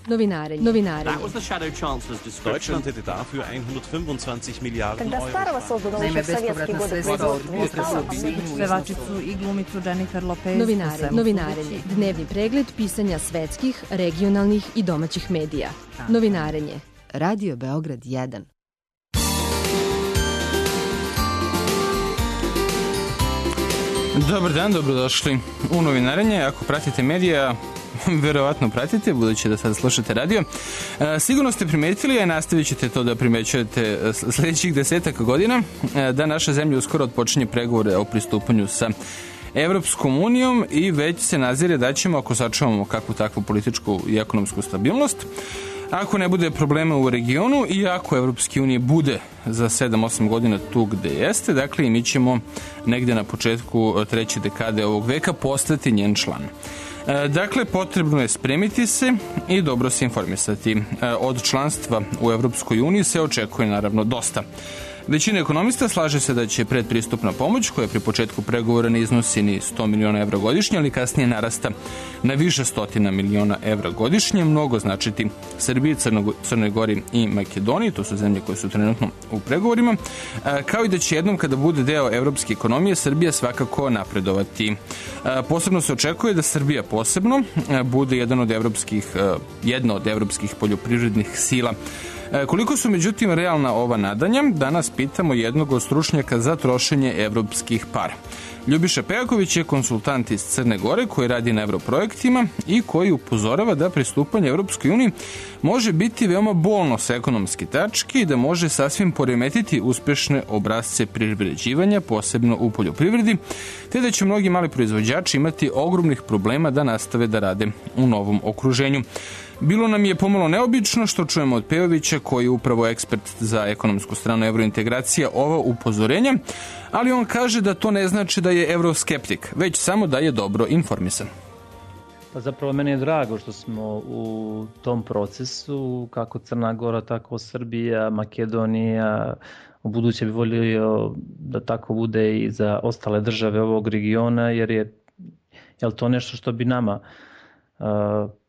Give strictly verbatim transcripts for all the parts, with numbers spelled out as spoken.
Novinarenje. Novinarenje. Deutschland hätte dafür hundertfünfundzwanzig Milliarden Euro. Naime, bespovratna sredstva od pevačicu i glumicu Jennifer Lopez. Novinarenje. Novinarenje. Dnevni pregled pisanja svetskih, regionalnih i domaćih medija. Novinarenje. Radio Beograd jedan. Dobar dan, dobrodošli u Novinarenje. Ako pratite medija, verovatno pratite, budući da sad slušate radio. Sigurno ste primetili, a nastavit ćete to da primećujete sljedećih desetak godina, da naša zemlja uskoro odpočinje pregovore o pristupanju sa Evropskom unijom i već se nazire da ćemo, ako sačuvamo kakvu takvu političku i ekonomsku stabilnost, ako ne bude problema u regionu i ako Evropske unije bude za sedam osam godina tu gde jeste, dakle i mi ćemo negde na početku treće dekade ovog veka postati njen član. Dakle, potrebno je spremiti se i dobro se informisati. Od članstva u Evropskoj uniji se očekuje naravno dosta. Većina ekonomista slaže se da će predpristupna pomoć, koja pri početku pregovora ne iznosi ni sto miliona evra godišnje, ali kasnije narasta na više stotina miliona evra godišnje, mnogo značiti Srbiji, Crnoj Gori i Makedoniji, to su zemlje koje su trenutno u pregovorima, kao i da će jednom kada bude deo evropske ekonomije Srbija svakako napredovati. Posebno se očekuje da Srbija posebno bude jedan od evropskih, jedna od evropskih poljoprivrednih sila. Koliko su međutim realna ova nadanja, danas pitamo jednog od stručnjaka za trošenje evropskih para. Ljubiša Pejaković je konsultant iz Crne Gore koji radi na evroprojektima i koji upozorava da pristupanje Evropskoj uniji može biti veoma bolno sa ekonomske tačke i da može sasvim poremetiti uspešne obrasce privređivanja, posebno u poljoprivredi, te da će mnogi mali proizvođači imati ogromnih problema da nastave da rade u novom okruženju. Bilo nam je pomalo neobično što čujemo od Pejovića, koji je upravo ekspert za ekonomsku stranu evrointegracija, ova upozorenja, ali on kaže da to ne znači da je evroskeptik, već samo da je dobro informisan. Pa zapravo meni je drago što smo u tom procesu, kako Crna Gora, tako Srbija, Makedonija, u buduće bi volio da tako bude i za ostale države ovog regiona, jer je jel to nešto što bi nama uh,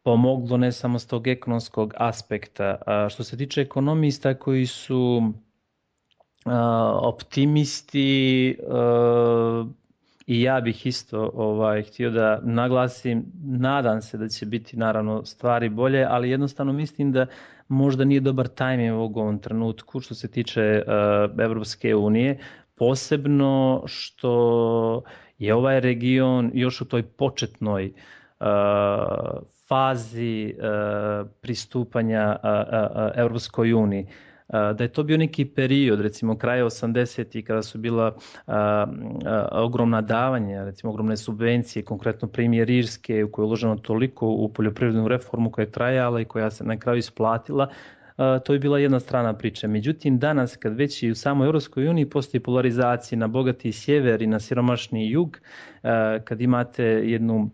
pomoglo ne samo s tog ekonomskog aspekta. A što se tiče ekonomista koji su uh, optimisti, uh, i ja bih isto ovaj, htio da naglasim, nadam se da će biti naravno stvari bolje, ali jednostavno mislim da možda nije dobar tajming u ovom trenutku što se tiče uh, Evropske unije, posebno što je ovaj region još u toj početnoj uh, fazi uh, pristupanja uh, uh, Evropskoj uniji. Uh, da je to bio neki period, recimo kraja osamdesetih kada su bila uh, uh, ogromna davanja, recimo ogromne subvencije, konkretno primjer Irske u kojoj je uloženo toliko u poljoprivrednu reformu koja je trajala i koja se na kraju isplatila, Uh, to je bila jedna strana priče. Međutim, danas kad već i u samoj Europskoj uniji postoji polarizacija na bogati sjever i na siromašni jug, uh, kad imate jednu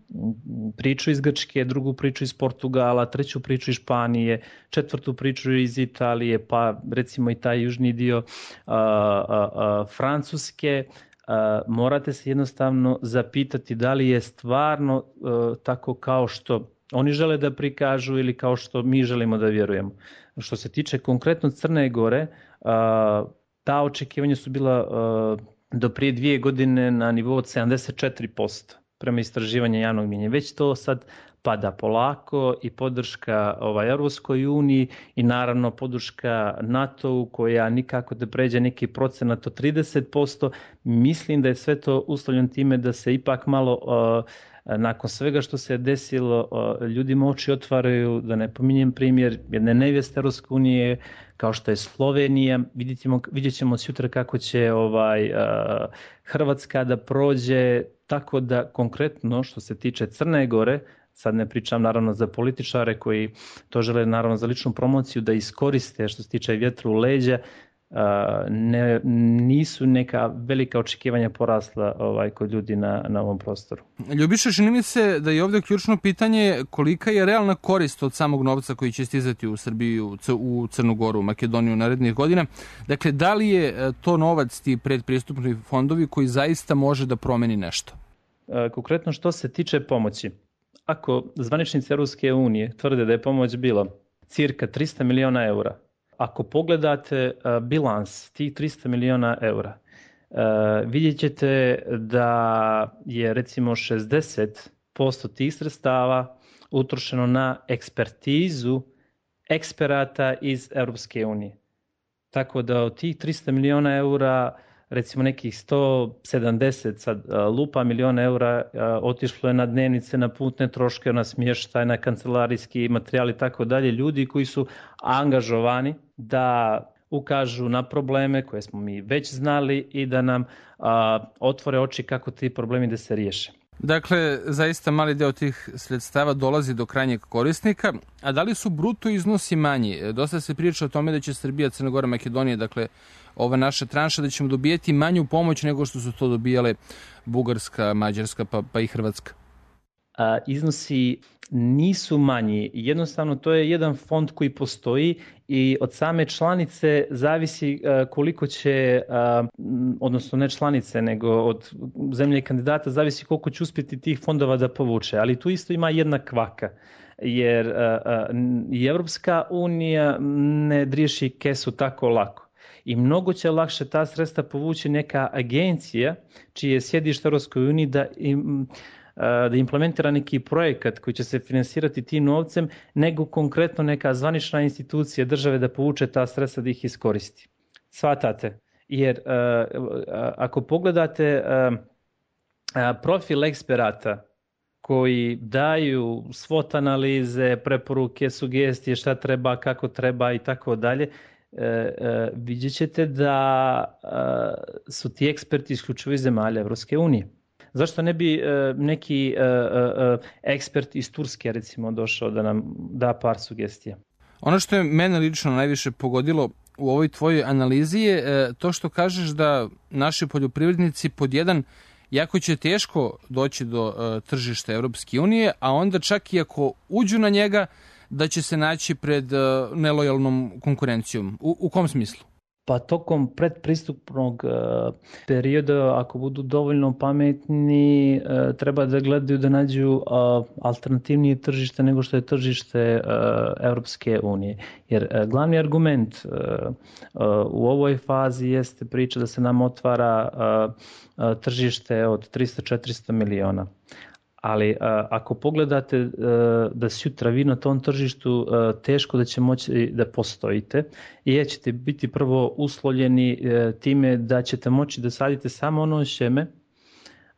priču iz Grčke, drugu priču iz Portugala, treću priču iz Španije, četvrtu priču iz Italije, pa recimo i taj južni dio uh, uh, uh, Francuske, uh, morate se jednostavno zapitati da li je stvarno uh, tako kao što oni žele da prikažu ili kao što mi želimo da vjerujemo. Što se tiče konkretno Crne Gore, ta očekivanja su bila do prije dvije godine na nivou od sedamdeset četiri posto prema istraživanju javnog mnijenja. Već to sad pada polako i podrška ovaj, Europskoj uniji i naravno podrška NATO-u koja nikako da pređe neki procenat od trideset posto. Mislim da je sve to uslovljeno time da se ipak malo uh, nakon svega što se desilo, ljudima oči otvaraju, da ne pominjem primjer jedne nevjeste Europske unije kao što je Slovenija. Vidjet ćemo, vidjet ćemo sutra kako će ovaj, Hrvatska da prođe, tako da konkretno što se tiče Crne Gore, sad ne pričam naravno za političare koji to žele naravno za ličnu promociju da iskoriste što se tiče vjetra u leđa, ne, nisu neka velika očekivanja porasla ovaj, kod ljudi na, na ovom prostoru. Ljubiša, čini mi se da je ovdje ključno pitanje kolika je realna korist od samog novca koji će stizati u Srbiju, u Crnu Goru, u Makedoniju narednih godina. Dakle, da li je to novac, ti predpristupni fondovi koji zaista može da promeni nešto? Konkretno što se tiče pomoći, ako zvaničnici Europske unije tvrde da je pomoć bila cirka tristo miliona eura, ako pogledate uh, bilans tih tristo miliona eura, uh, vidjet ćete da je recimo šezdeset posto tih sredstava utrošeno na ekspertizu eksperata iz Europske unije. Tako da od tih tristo miliona eura, recimo nekih sto sedamdeset sad, lupa miliona eura otišlo je na dnevnice, na putne troške, na smještaj, na kancelarijski materijal i tako dalje. Ljudi koji su angažovani da ukažu na probleme koje smo mi već znali i da nam a, otvore oči kako ti problemi da se riješe. Dakle, zaista mali deo tih sredstava dolazi do krajnjeg korisnika, a da li su bruto iznosi manji? Dosta se priča o tome da će Srbija, Crna Gora, Makedonija, dakle, ova naša tranša, da ćemo dobijeti manju pomoć nego što su to dobijale Bugarska, Mađarska pa, pa i Hrvatska. A, iznosi nisu manji. Jednostavno, to je jedan fond koji postoji i od same članice zavisi koliko će, odnosno ne članice, nego od zemlje kandidata zavisi koliko će uspjeti tih fondova da povuče. Ali tu isto ima jedna kvaka, jer i Evropska unija ne driješi kesu tako lako. I mnogo će lakše ta sredstva povući neka agencija čije je sjedište u Europskoj uniji da im da implementira neki projekat koji će se finansirati tim novcem, nego konkretno neka zvanična institucija države da povuče ta sredstva da ih iskoristi. Svatate? Jer ako pogledate profil eksperata koji daju svot analize, preporuke, sugestije, šta treba, kako treba i tako dalje, vidjet ćete da su ti eksperti isključivo iz zemalja Evropske unije. Zašto ne bi uh, neki uh, uh, ekspert iz Turske recimo došao da nam da par sugestija? Ono što je mene lično najviše pogodilo u ovoj tvojoj analizi je uh, to što kažeš da naši poljoprivrednici pod jedan jako će teško doći do uh, tržišta Evropske unije, a onda čak i ako uđu na njega da će se naći pred uh, nelojalnom konkurencijom. U, u kom smislu? Pa tokom predpristupnog uh, perioda, ako budu dovoljno pametni, uh, treba da gledaju da nađu uh, alternativnije tržište nego što je tržište uh, Europske unije. Jer uh, glavni argument uh, uh, u ovoj fazi jeste priča da se nam otvara uh, uh, tržište od tristo do četiristo miliona. Ali uh, ako pogledate uh, da sutra vi na tom tržištu uh, teško da će moći da postojite i ćete biti prvo uslovljeni uh, time da ćete moći da sadite samo ono sjeme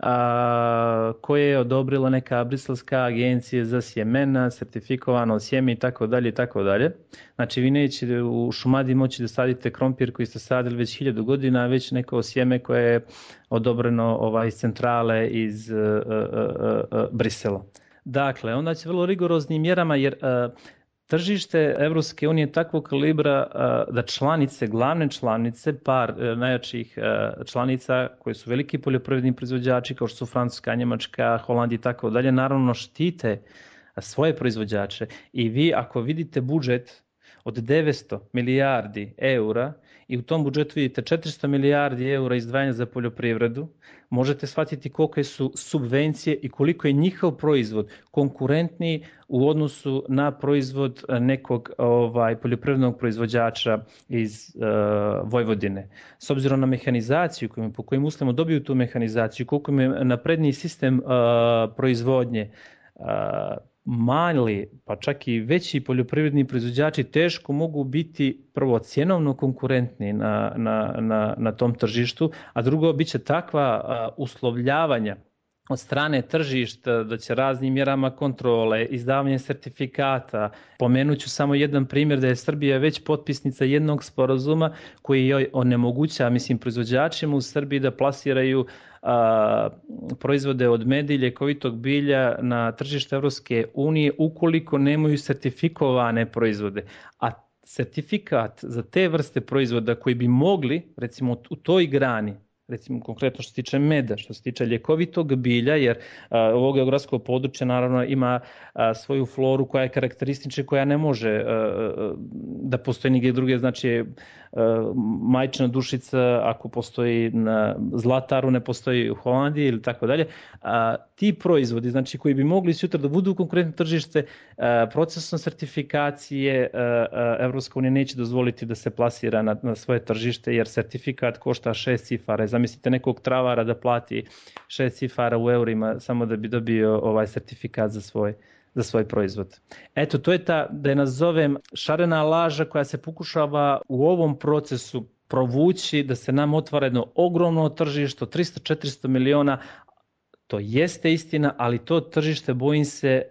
a, koje je odobrila neka briselska agencija za sjemena, sertifikovano sjeme i tako dalje i tako dalje. Znači vi nećete u Šumadiji moći da sadite krompir koji ste sadili već hiljadu godina, već neko sjeme koje je odobreno ovaj, iz centrale iz uh, uh, uh, Brisela. Dakle, onda će vrlo rigoroznim mjerama jer uh, tržište Evropske unije je takvog kalibra uh, da članice, glavne članice, par uh, najjačih uh, članica koji su veliki poljoprivredni proizvođači kao što su Francuska, Njemačka, Holandija i tako dalje, naravno štite svoje proizvođače. I vi ako vidite budžet od devetsto milijardi eura i u tom budžetu vidite četiristo milijardi eura izdvajanja za poljoprivredu, možete shvatiti kolike su subvencije i koliko je njihov proizvod konkurentniji u odnosu na proizvod nekog ovaj, poljoprivrednog proizvođača iz uh, Vojvodine. S obzirom na mehanizaciju, kojim, po kojim uslovima dobiju tu mehanizaciju, koliko je napredniji sistem uh, proizvodnje, uh, mali, pa čak i veći poljoprivredni proizvođači teško mogu biti prvo cjenovno konkurentni na, na, na, na tom tržištu, a drugo bit će takva a, uslovljavanja od strane tržišta da će raznim mjerama kontrole, izdavanje sertifikata. Pomenut ću samo jedan primjer da je Srbija već potpisnica jednog sporazuma koji joj onemoguća, mislim, proizvođačima u Srbiji da plasiraju a, proizvode od meda i ljekovitog bilja na tržište Evropske unije ukoliko nemaju sertifikovane proizvode. A sertifikat za te vrste proizvoda koji bi mogli, recimo u toj grani, recimo konkretno što se tiče meda, što se tiče ljekovitog bilja, jer a, ovo geografsko područje naravno ima a, svoju floru koja je karakteristična, koja ne može a, a, da postoji nigdje druge, znači majčina dušica ako postoji na Zlataru, ne postoji u Holandiji ili tako dalje. Ti proizvodi, znači koji bi mogli sutra da budu konkurentno tržište, procesom sertifikacije Evropska unija neće dozvoliti da se plasira na, na svoje tržište, jer sertifikat košta šest cifara. Zamislite nekog travara da plati šest cifara u eurima samo da bi dobio ovaj sertifikat za svoj za svoj proizvod. Eto, to je ta, da je nazovem, šarena laža koja se pokušava u ovom procesu provući, da se nam otvara jedno ogromno tržište, tristo do četiristo miliona. To jeste istina, ali to tržište, bojim se,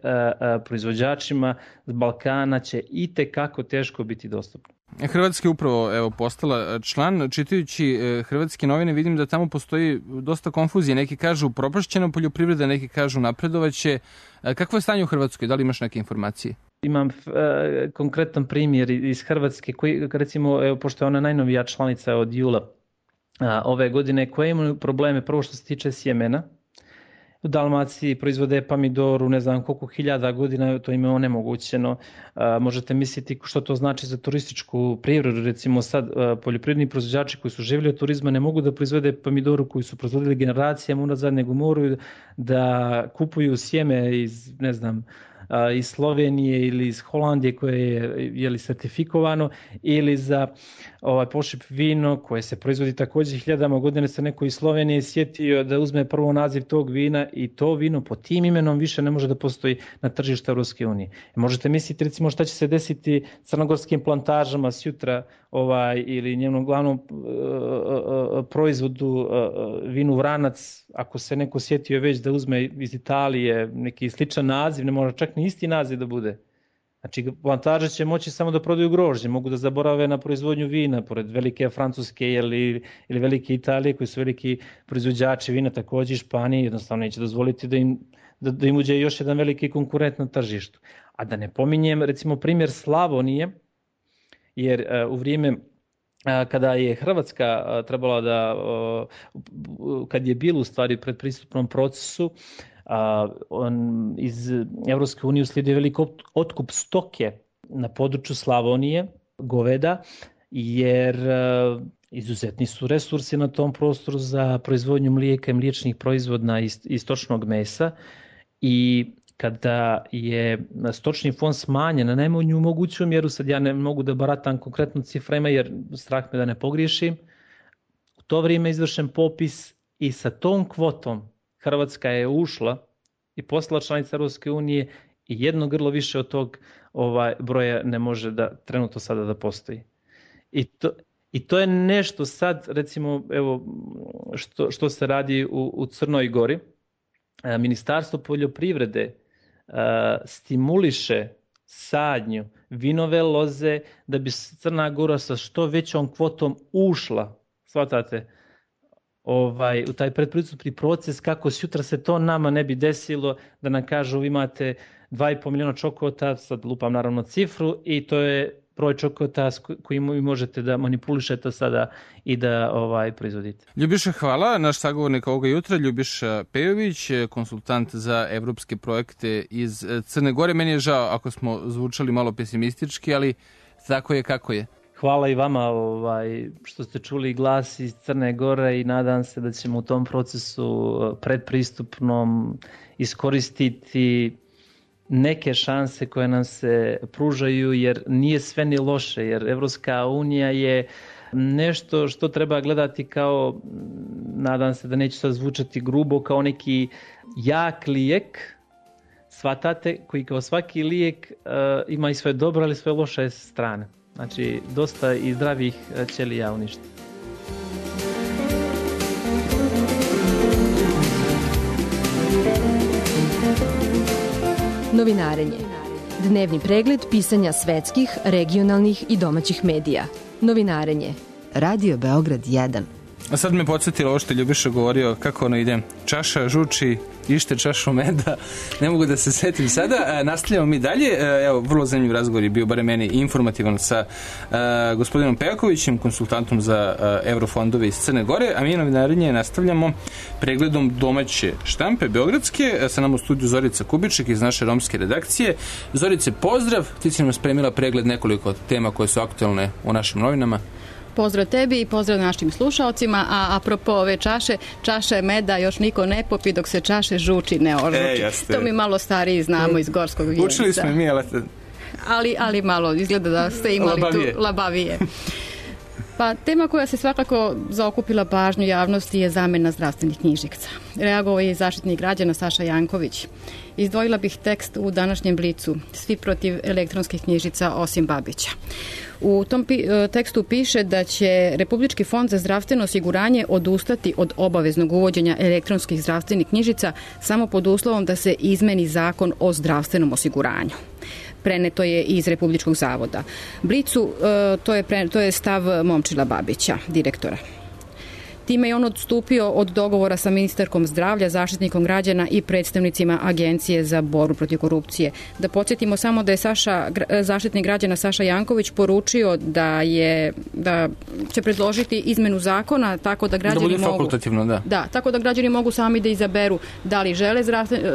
proizvođačima z Balkana će itekako teško biti dostupno. Hrvatska je upravo evo, postala član. Čitajući hrvatske novine vidim da tamo postoji dosta konfuzije. Neki kažu propašćena poljoprivreda, neki kažu napredovaće. Kakvo je stanje u Hrvatskoj? Da li imaš neke informacije? Imam e, konkretan primjer iz Hrvatske, koji, recimo, evo, pošto je ona najnovija članica od jula a, ove godine, koje imaju probleme, prvo što se tiče sjemena. U Dalmaciji proizvode pomidoru, ne znam koliko hiljada godina, to im je onemogućeno. A, možete misliti što to znači za turističku privredu. Recimo sad a, poljoprivredni proizvođači koji su živjeli od turizma ne mogu da proizvode pomidoru koji su proizvodili generacijama unazad, nego moraju da kupuju sjeme iz, ne znam, iz Slovenije ili iz Holandije koje je, je li sertifikovano, ili za ovaj pošip vino koje se proizvodi također hiljadama godina, se neko iz Slovenije sjetio da uzme prvo naziv tog vina i to vino po tim imenom više ne može da postoji na tržištu Europske unije. Možete misliti recimo šta će se desiti crnogorskim plantažama sjutra ovaj, ili njenom glavnom uh, uh, proizvodu uh, vinu Vranac, ako se neko sjetio već da uzme iz Italije neki sličan naziv, ne mora čak ni isti naziv da bude. Znači, plantaže će moći samo da prodaju grožđe, mogu da zaborave na proizvodnju vina, pored velike Francuske ili, ili velike Italije, koji su veliki proizvođači vina, također Španije, jednostavno neće dozvoliti da im, da, da im uđe još jedan veliki konkurent na tržištu. A da ne pominjem, recimo, primjer Slavonije, jer uh, u vrijeme uh, kada je Hrvatska uh, trebala da, uh, kad je bilo u stvari pred pristupnom procesu, Uh, on iz Evropske unije uslijedio velik otkup stoke na području Slavonije, goveda, jer uh, izuzetni su resursi na tom prostoru za proizvodnju mlijeka i mliječnih proizvoda iz, iz stočnog mesa, i kada je stočni fond smanjen na najmanju moguću mjeru, sad ja ne mogu da baratam konkretno ciframa jer strah me da ne pogriješim, u to vrijeme je izvršen popis i sa tom kvotom Hrvatska je ušla i postala članica Europske unije i jedno grlo više od tog ovaj, broja ne može da trenutno sada da postoji. I to, i to je nešto sad, recimo, evo, što, što se radi u, u Crnoj Gori. Ministarstvo poljoprivrede a, stimuliše sadnju vinove loze da bi Crna Gora sa što većom kvotom ušla, shvatate, Ovaj, u taj predpristupni proces, kako sutra se to nama ne bi desilo, da nam kažu imate dva i pol miliona čokota, sad lupam naravno cifru, i to je broj čokota koji možete da manipulišete sada i da ovaj, proizvodite. Ljubiša, hvala. Naš sagovornik ovoga jutra, Ljubiša Pejović, konsultant za evropske projekte iz Crne Gore. Meni je žao ako smo zvučali malo pesimistički, ali tako je kako je. Hvala i vama ovaj, što ste čuli glas iz Crne Gore i nadam se da ćemo u tom procesu predpristupnom iskoristiti neke šanse koje nam se pružaju, jer nije sve ni loše, jer Evropska unija je nešto što treba gledati kao, nadam se da neće sad zvučati grubo, kao neki jak lijek, shvatate, koji kao svaki lijek uh, ima i svoje dobre, ali svoje loše strane. Znači, dosta i zdravih ćelija uništi. Novinarenje. Dnevni pregled pisanja svetskih, regionalnih i domaćih medija. Novinarenje. Radio Beograd jedan. A sad me podsjetilo ovo što je Ljubiša govorio, kako ono ide. Čaša žuči, ište čašu meda. Ne mogu da se setim sada. E, nastavljamo mi dalje. E, evo, vrlo zanimljiv razgovor je bio, bare meni, informativan sa e, gospodinom Pejakovićem, konsultantom za e, eurofondove iz Crne Gore, a mi novinarenje nastavljamo pregledom domaće štampe beogradske. E, sa nam u studiju Zorica Kubiček iz naše romske redakcije. Zorice, pozdrav. Ti si nam spremila pregled nekoliko tema koje su aktualne u našim novinama. Pozdrav tebi i pozdrav našim slušalcima, a apropo ove čaše, čaše meda još niko ne popi dok se čaše žuči ne ožuči. E, to mi malo stariji znamo iz Gorskog vijenca. Učili smo mi, ali... ali... Ali malo, izgleda da ste imali labavije. Tu labavije. Pa tema koja se svakako zaokupila pažnju javnosti je zamjena zdravstvenih knjižica. Reagovao je zaštitnik građana Saša Janković. Izdvojila bih tekst u današnjem Blicu. Svi protiv elektronskih knjižica osim Babića. U tom pi- tekstu piše da će Republički fond za zdravstveno osiguranje odustati od obaveznog uvođenja elektronskih zdravstvenih knjižica samo pod uslovom da se izmeni zakon o zdravstvenom osiguranju. Preneto je iz Republičkog zavoda. Blicu, to je, pre, to je stav Momčila Babića, direktora. Time je on odstupio od dogovora sa ministarkom zdravlja, zaštitnikom građana i predstavnicima Agencije za borbu protiv korupcije. Da podsjetimo samo da je Saša, zaštitnik građana Saša Janković poručio da je da će predložiti izmenu zakona tako da građani da bude mogu fakultativno, da. Da, tako da građani mogu sami da izaberu da li žele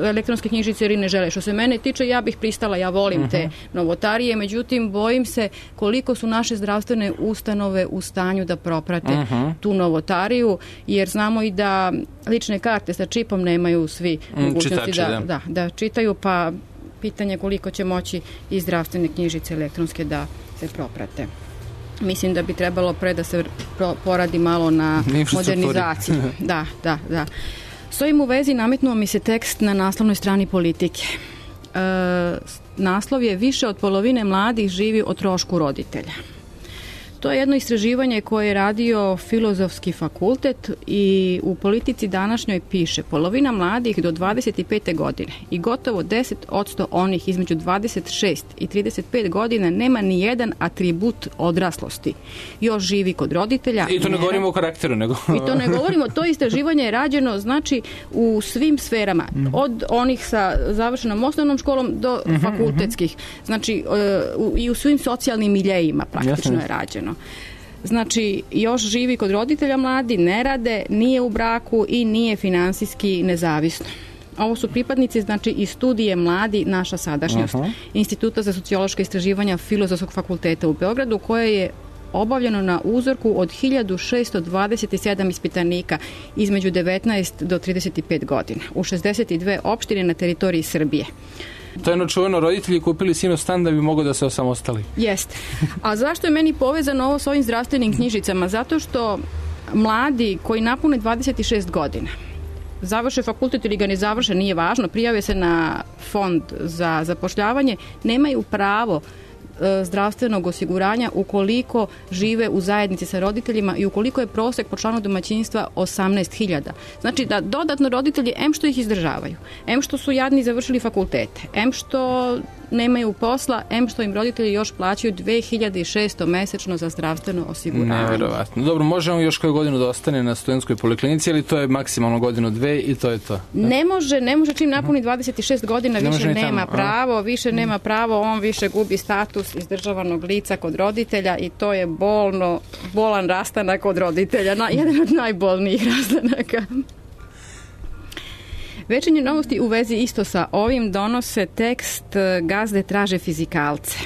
elektronske knjižice ili ne žele. Što se mene tiče, ja bih pristala, ja volim uh-huh. te novotarije, međutim bojim se koliko su naše zdravstvene ustanove u stanju da proprate uh-huh. tu novotariju, jer znamo i da lične karte sa čipom nemaju svi mogućnosti da, da, da čitaju, pa pitanje koliko će moći i zdravstvene knjižice elektronske da se proprate. Mislim da bi trebalo pre da se poradi malo na modernizaciji. Da, da, da. S ovim u vezi nametnuo mi se tekst na naslovnoj strani Politike. E, naslov je: više od polovine mladih živi o trošku roditelja. To je jedno istraživanje koje je radio Filozofski fakultet i u Politici današnjoj piše: polovina mladih do dvadeset pete godine i gotovo deset posto onih između dvadeset šest i trideset pet godina nema ni jedan atribut odraslosti. Još živi kod roditelja. I to ne, ne govorimo o karakteru, nego... I to ne govorimo, to istraživanje je rađeno znači u svim sferama, od onih sa završenom osnovnom školom do uh-huh, fakultetskih. Znači uh, i u svim socijalnim miljejima praktično je rađeno. Znači, još živi kod roditelja mladi, ne rade, nije u braku i nije finansijski nezavisno. Ovo su pripadnici, znači, iz studije Mladi, naša sadašnjost, uh-huh. Instituta za sociološka istraživanja Filozofskog fakulteta u Beogradu, koje je obavljeno na uzorku od hiljadu šesto dvadeset sedam ispitanika između devetnaest do trideset pet godina u šezdeset dve opštine na teritoriji Srbije. To je jedno čuveno, roditelji kupili sinu stan da bi mogli da se osamostali. Jeste. A zašto je meni povezano ovo s ovim zdravstvenim knjižicama? Zato što mladi koji napune dvadeset šest godina, završe fakultet ili ga ne završe, nije važno, prijave se na fond za zapošljavanje, nemaju pravo zdravstvenog osiguranja ukoliko žive u zajednici sa roditeljima i ukoliko je prosek po članu domaćinstva osamnaest hiljada. Znači da dodatno roditelji, em što ih izdržavaju, em što su jadni završili fakultete, em što nemaju posla, em što im roditelji još plaćaju dve hiljade šesto mesečno za zdravstveno osiguranje. Neverovatno. Dobro, možemo još koju godinu da ostane na studentskoj poliklinici, ali to je maksimalno godinu dve i to je to. Da? Ne može, ne može čim napuni dvadeset šest godina, ne više nema tamo, pravo, više nema pravo, on više gubi status izdržavanog lica kod roditelja i to je bolno, bolan rastanak od roditelja, na, jedan od najbolnijih rastanaka. Večernje novosti u vezi isto sa ovim donose tekst Gazde traže fizikalce,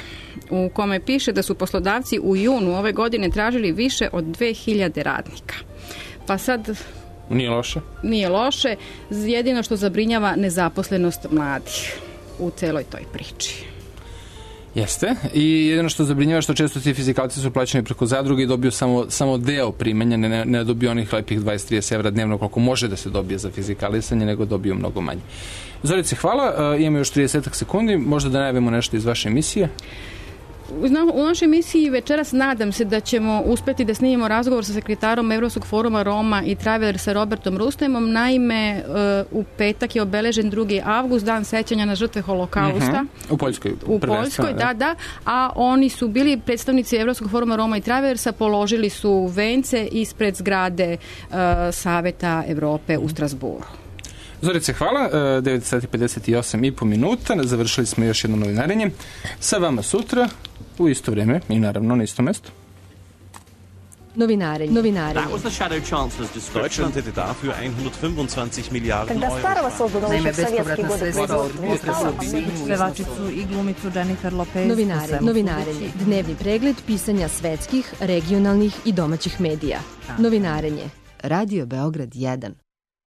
u kome piše da su poslodavci u junu ove godine tražili više od dve hiljade radnika. Pa sad... Nije loše. Nije loše, jedino što zabrinjava nezaposlenost mladih u celoj toj priči. Jeste. I jedino što zabrinjava što često ti fizikalci su plaćeni preko zadruge i dobiju samo, samo deo primanja, ne, ne dobiju onih lepih dvadeset do trideset evra dnevno koliko može da se dobije za fizikalisanje, nego dobiju mnogo manje. Zorice, hvala. Uh, imamo još trideset sekundi. Možda da najavimo nešto iz vaše emisije? U našoj emisiji večeras nadam se da ćemo uspeti da snimimo razgovor sa sekretarom Evropskog foruma Roma i Traveler sa Robertom Rustemom. Naime, u petak je obeležen drugi avgust, dan sećanja na žrtve holokausta. Uh-huh. U Poljskoj. U Poljskoj, da, da. A oni su bili predstavnici Evropskog foruma Roma i Travelersa, položili su vence ispred zgrade uh, Saveta Evrope u Strasburu. Zorice, hvala. devet sati pedeset osam i po minuta. Završili smo još jedno novinarenje. Sa vama sutra u isto vrijeme i naravno na isto mesto. Novinarenje. Novinarenje. That was the shadow chancellor's description. Deutschland hätte dafür hundertfünfundzwanzig Milliarden Euro. Naime, bespovratna sredstva od potresa u Sinju. Pevačicu i glumicu Jennifer Lopez. Novinare, novinarenje. Dnevni pregled pisanja svetskih, regionalnih i domaćih medija. Novinarenje. Radio Beograd jedan.